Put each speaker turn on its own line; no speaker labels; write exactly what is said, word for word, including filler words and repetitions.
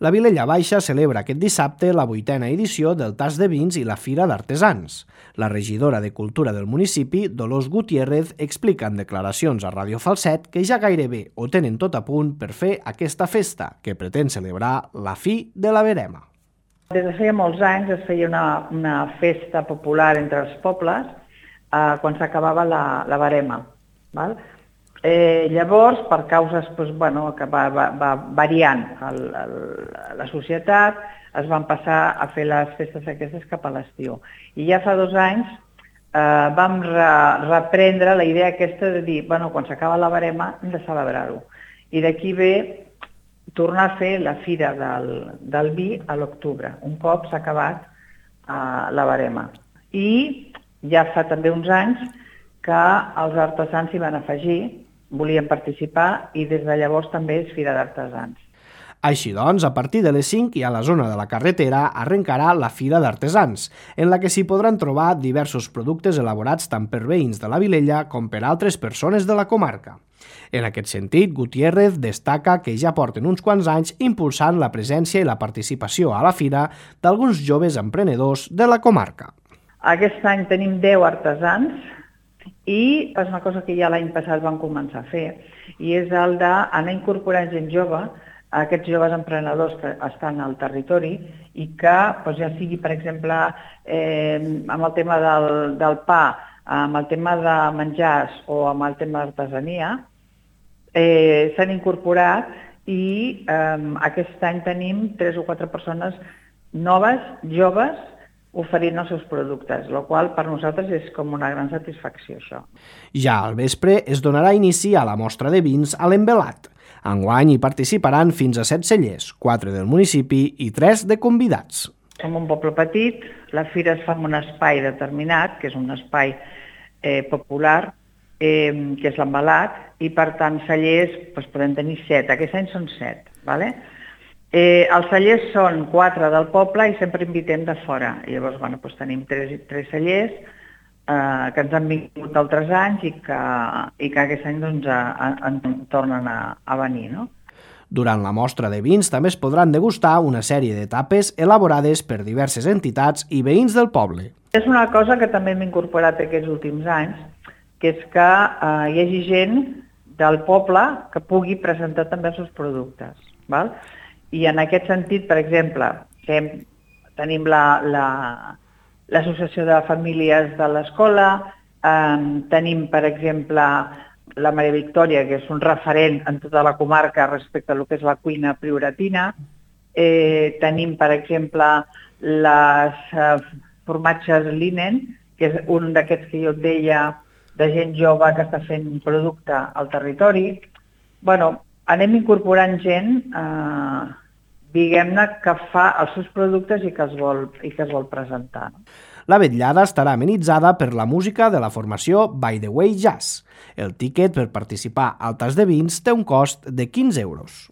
La Vilella Baixa celebra aquest dissabte la vuitena edició del Tas de Vins i la Fira d'Artesans. La regidora de Cultura del municipi, Dolors Gutiérrez, explica en declaracions a Ràdio Falset que ja gairebé ho tenen tot a punt per fer aquesta festa, que pretén celebrar la fi de la verema.
Des de feia molts anys es feia una, una festa popular entre els pobles eh, quan s'acabava la, la verema. Val? Eh, llavors, per causes doncs, bueno, que va, va, va variant el, el, la societat, es van passar a fer les festes aquestes cap a l'estiu. I ja fa dos anys eh, vam re, reprendre la idea aquesta de dir, bueno, quan s'acaba la verema hem de celebrar-ho. I d'aquí ve tornar a fer la fira del, del vi a l'octubre, un cop s'ha acabat eh, la verema. I ja fa també uns anys que els artesans s'hi van afegir, volien participar i des de llavors també és Fira d'Artesans.
Així doncs, a partir de les cinc i a la zona de la carretera arrencarà la Fira d'Artesans, en la que s'hi podran trobar diversos productes elaborats tant per veïns de la Vilella com per altres persones de la comarca. En aquest sentit, Gutiérrez destaca que ja porten uns quants anys impulsant la presència i la participació a la fira d'alguns joves emprenedors de la comarca.
Aquest any tenim deu artesans i és una cosa que ja l'any passat vam començar a fer, i és el d'anar incorporant gent jove, aquests joves emprenedors que estan al territori i que doncs, ja sigui, per exemple, eh, amb el tema del, del pa, amb el tema de menjars o amb el tema d'artesania, eh, s'han incorporat i eh, aquest any tenim tres o quatre persones noves, joves, oferint els seus productes, el qual per nosaltres és com una gran satisfacció, això.
Ja al vespre es donarà inici a la mostra de vins a l'Envelat. Enguany hi participaran fins a set cellers, quatre del municipi i tres de convidats.
Som un poble petit, la fira es fa en un espai determinat, que és un espai eh, popular, eh, que és l'Envelat, i per tant cellers doncs, podem tenir set, aquest any són set, d'acord? Eh, els cellers són quatre del poble i sempre invitem de fora. I llavors bueno, doncs tenim tres, tres cellers eh, que ens han vingut d'altres anys i que, i que aquest any doncs, a, a, en tornen a, a venir. No?
Durant la mostra de vins també es podran degustar una sèrie de tapes elaborades per diverses entitats i veïns del poble.
És una cosa que també hem incorporat aquests últims anys, que és que eh, hi hagi gent del poble que pugui presentar també els seus productes. Val? I en aquest sentit, per exemple, tenim l'Associació de Famílies de l'Escola, eh, tenim, per exemple, la Maria Victòria, que és un referent en tota la comarca respecte a lo que és la cuina prioratina, eh, tenim, per exemple, les eh, formatges Linen, que és un d'aquests que jo et deia de gent jove que està fent un producte al territori. Bueno, anem incorporant gent eh, diguem-ne, que fa els seus productes i que es vol, i que es vol presentar.
La vetllada estarà amenitzada per la música de la formació By the Way Jazz. El tíquet per participar al Tas de Vins té un cost de quinze euros.